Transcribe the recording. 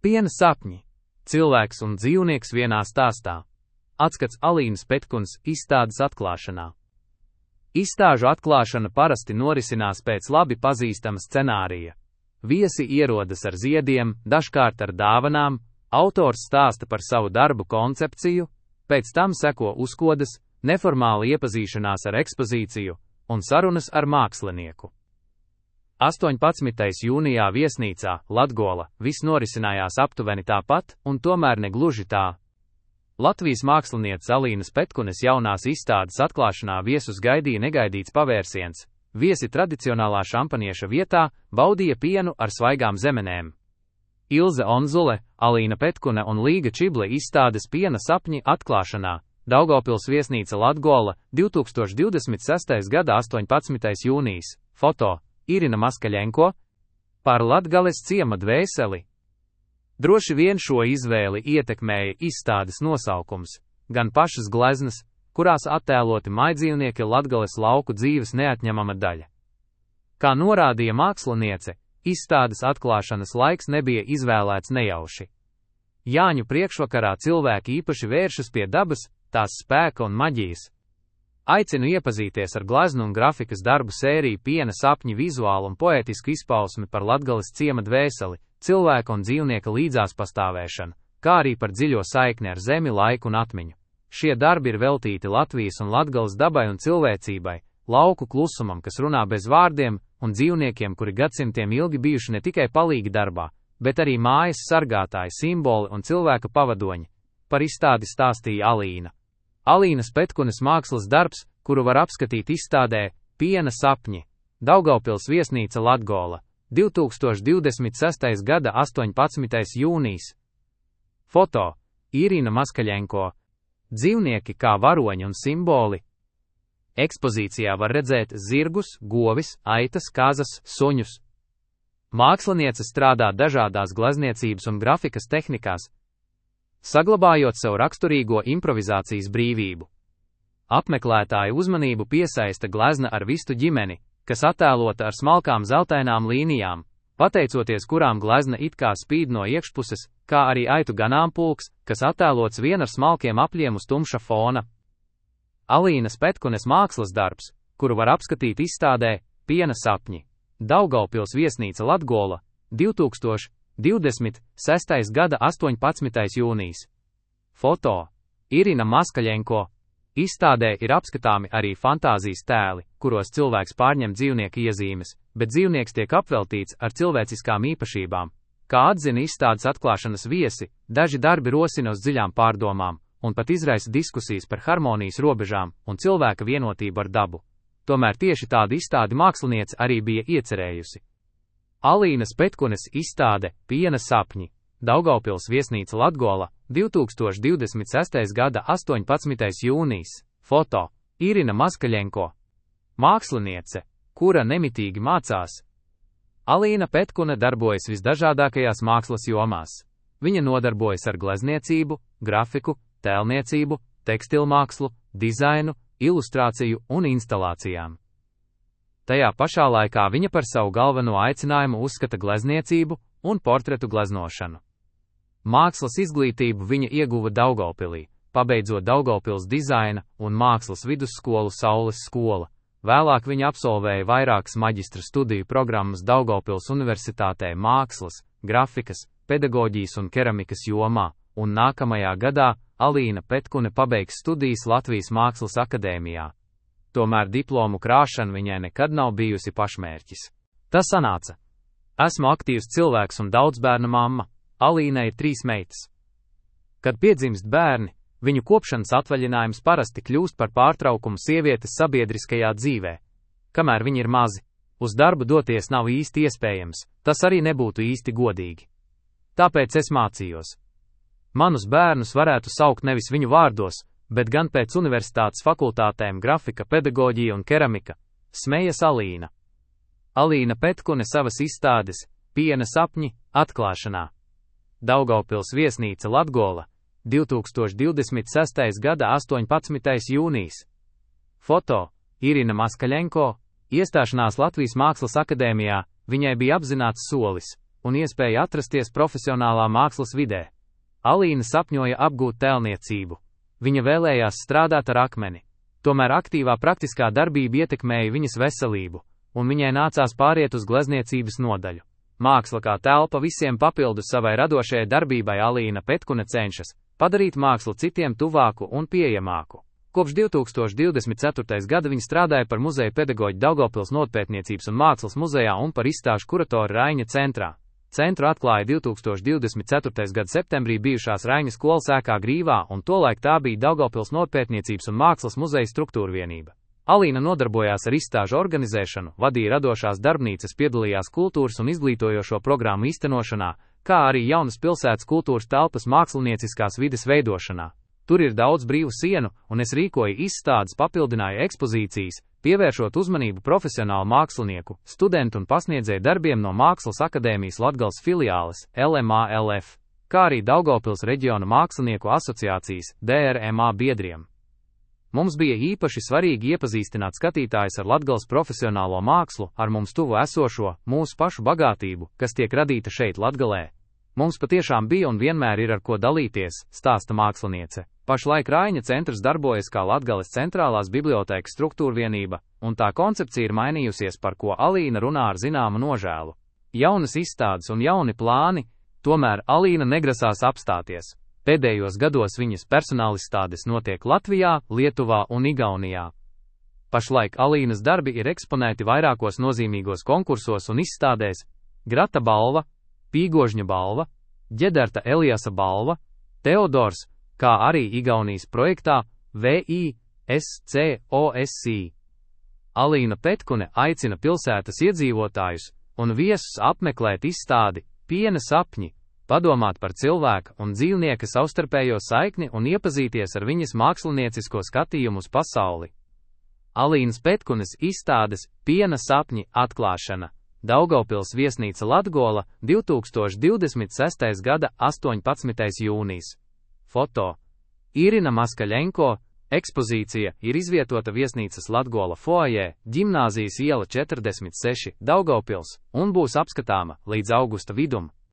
Piena sapņi. Cilvēks un dzīvnieks vienā stāstā. Atskats Alīnas Petkunas izstādes atklāšanā. Izstāžu atklāšana parasti norisinās pēc labi pazīstama scenārija. Viesi ierodas ar ziediem, dažkārt ar dāvanām, autors stāsta par savu darbu koncepciju, pēc tam seko uzkodas, neformāla iepazīšanās ar ekspozīciju un sarunas ar mākslinieku. 18. jūnijā viesnīcā Latgola viss norisinājās aptuveni tāpat, un tomēr ne gluži tā. Latvijas mākslinieces Alīnas Petkunes jaunās izstādes atklāšanā viesus gaidīja negaidīts pavērsiens. Viesi tradicionālā šampanieša vietā baudīja pienu ar svaigām zemenēm. Ilze Onzule, Alīna Petkune un Līga Čible izstādes Piena sapņi atklāšanā. Daugavpils viesnīca Latgola, 2026. gada 18. jūnijas. Foto Irina Maskaļenko. Par Latgales ciema dvēseli. Droši vien šo izvēli ietekmēja izstādes nosaukums, gan pašas gleznas, kurās attēloti majdzīvnieki Latgales lauku dzīves neatņemama daļa. Kā norādīja māksliniece, izstādes atklāšanas laiks nebija izvēlēts nejauši. Jāņu priekšvakarā cilvēki īpaši vēršas pie dabas, tās spēka un maģijas. Aicinu iepazīties ar gleznu un grafikas darbu sēriju Piena sapņi vizuālu un poētisku izpausmi par Latgales ciema dvēseli, cilvēka un dzīvnieka līdzās pastāvēšanu, kā arī par dziļo saikni ar zemi, laiku un atmiņu. Šie darbi ir veltīti Latvijas un Latgales dabai un cilvēcībai, lauku klusumam, kas runā bez vārdiem, un dzīvniekiem, kuri gadsimtiem ilgi bijuši ne tikai palīgi darbā, bet arī mājas sargātāji, simboli un cilvēka pavadoņi. Par izstādi stāstīja Alīna. Alīnas Petkunes mākslas darbs, kuru var apskatīt izstādē Piena sapņi. Daugavpils viesnīca Latgola, 2026. gada 18. jūnijas. Foto Irina Maskaļenko. Dzīvnieki kā varoņi un simboli. Ekspozīcijā var redzēt zirgus, govis, aitas, kazas, suņus. Māksliniece strādā dažādās glezniecības un grafikas tehnikās, saglabājot savu raksturīgo improvizācijas brīvību. Apmeklētāju uzmanību piesaista glezna ar vistu ģimeni, kas attēlota ar smalkām zeltainām līnijām, pateicoties kurām glezna it kā spīd no iekšpuses, kā arī aitu ganāmpulks, kas attēlots vien ar smalkiem apļiem uz tumša fona. Alīnas Petkunes mākslas darbs, kuru var apskatīt izstādē Piena sapņi. Daugavpils viesnīca Latgola, 2026. gada 18. jūnijas. Foto Irina Maskaļenko. Izstādē ir apskatāmi arī fantāzijas tēli, kuros cilvēks pārņem dzīvnieka iezīmes, bet dzīvnieks tiek apveltīts ar cilvēciskām īpašībām. Kā atzina izstādes atklāšanas viesi, daži darbi rosina uz dziļām pārdomām, un pat izraisa diskusijas par harmonijas robežām un cilvēka vienotību ar dabu. Tomēr tieši tādu izstādi māksliniece arī bija iecerējusi. Alīnas Petkunes izstāde Piena sapņi. Daugavpils viesnīca Latgola, 2026. gada 18. jūnijas. Foto Irina Maskaļenko. Māksliniece, kura nemitīgi mācās. Alīna Petkune darbojas visdažādākajās mākslas jomās. Viņa nodarbojas ar glezniecību, grafiku, tēlniecību, tekstilmākslu, dizainu, ilustrāciju un instalācijām. Tajā pašā laikā viņa par savu galveno aicinājumu uzskata glezniecību un portretu gleznošanu. Mākslas izglītību viņa ieguva Daugavpilī, pabeidzot Daugavpils dizaina un mākslas vidusskolu Saules skola. Vēlāk viņa absolvēja vairākas maģistra studiju programmas Daugavpils Universitātē mākslas, grafikas, pedagoģijas un keramikas jomā, un nākamajā gadā Alīna Petkune pabeigs studijas Latvijas Mākslas akadēmijā. Tomēr diplomu krāšana viņai nekad nav bijusi pašmērķis. Tas sanāca. Esmu aktīvs cilvēks un daudzbērnu mamma. Alīnai ir 3 meitas. Kad piedzimst bērni, viņu kopšanas atvaļinājums parasti kļūst par pārtraukumu sievietes sabiedriskajā dzīvē. Kamēr viņi ir mazi, uz darbu doties nav īsti iespējams, tas arī nebūtu īsti godīgi. Tāpēc es mācījos. Manus bērnus varētu saukt nevis viņu vārdos, bet gan pēc universitātes fakultātēm grafika, pedagoģija un keramika, smejas Alīna. Alīna Petkune savas izstādes Piena sapņi atklāšanā. Daugavpils viesnīca Latgola, 2026. gada 18. jūnijas. Foto Irina Maskaļenko. Iestāšanās Latvijas Mākslas akadēmijā viņai bija apzināts solis, un iespēja atrasties profesionālā mākslas vidē. Alīna sapņoja apgūt tēlniecību. Viņa vēlējās strādāt ar akmeni. Tomēr aktīvā praktiskā darbība ietekmēja viņas veselību, un viņai nācās pāriet uz glezniecības nodaļu. Māksla kā telpa visiem papildus savai radošajai darbībai Alīna Petkune cenšas padarīt mākslu citiem tuvāku un pieejamāku. Kopš 2024. gada viņa strādāja par muzeja pedagoģi Daugavpils Novatpētniecības un mākslas muzejā un par izstāžu kuratoru Raiņa centrā. Centru atklāja 2024. gada septembrī bijušās Raiņa skolas ēkā Grīvā, un tolaik tā bija Daugavpils Novatpētniecības un mākslas muzeja struktūra vienība. Alīna nodarbojās ar izstāžu organizēšanu, vadīja radošās darbnīcas, piedalījās kultūras un izglītojošo programmu īstenošanā, kā arī jaunas pilsētas kultūras telpas mākslinieciskās vides veidošanā. Tur ir daudz brīvu sienu, un es rīkoju izstādes, papildināju ekspozīcijas, pievēršot uzmanību profesionālu mākslinieku, studentu un pasniedzēju darbiem no Mākslas akadēmijas Latgales filiāles, LMALF, kā arī Daugavpils reģiona mākslinieku asociācijas, DRMA biedriem. Mums bija īpaši svarīgi iepazīstināt skatītājus ar Latgales profesionālo mākslu, ar mums tuvu esošo, mūsu pašu bagātību, kas tiek radīta šeit Latgalē. Mums patiešām bija un vienmēr ir ar ko dalīties, stāsta māksliniece. Pašlaik Raiņa centrs darbojas kā Latgales centrālās bibliotēkas struktūra vienība, un tā koncepcija ir mainījusies, par ko Alīna runā ar zināmu nožēlu. Jaunas izstādes un jauni plāni, tomēr Alīna negrasās apstāties. Pēdējos gados viņas personālizstādes notiek Latvijā, Lietuvā un Igaunijā. Pašlaik Alīnas darbi ir eksponēti vairākos nozīmīgos konkursos un izstādēs: Grata balva, Pīgožņa balva, Ģederta Eliasa balva, Teodors, kā arī Igaunijas projektā VISCOSI. Alīna Petkune aicina pilsētas iedzīvotājus un viesus apmeklēt izstādi Piena sapņi, padomāt par cilvēka un dzīvnieka savstarpējo saikni un iepazīties ar viņas māksliniecisko skatījumu uz pasauli. Alīnas Petkunes izstādes Piena sapņi atklāšana. Daugavpils viesnīca Latgola, 2026. gada 18. jūnijas. Foto: Irina Maskaļenko. Ekspozīcija ir izvietota viesnīcas Latgola foajē, Ģimnāzijas iela 46, Daugavpils, un būs apskatāma līdz augusta vidum.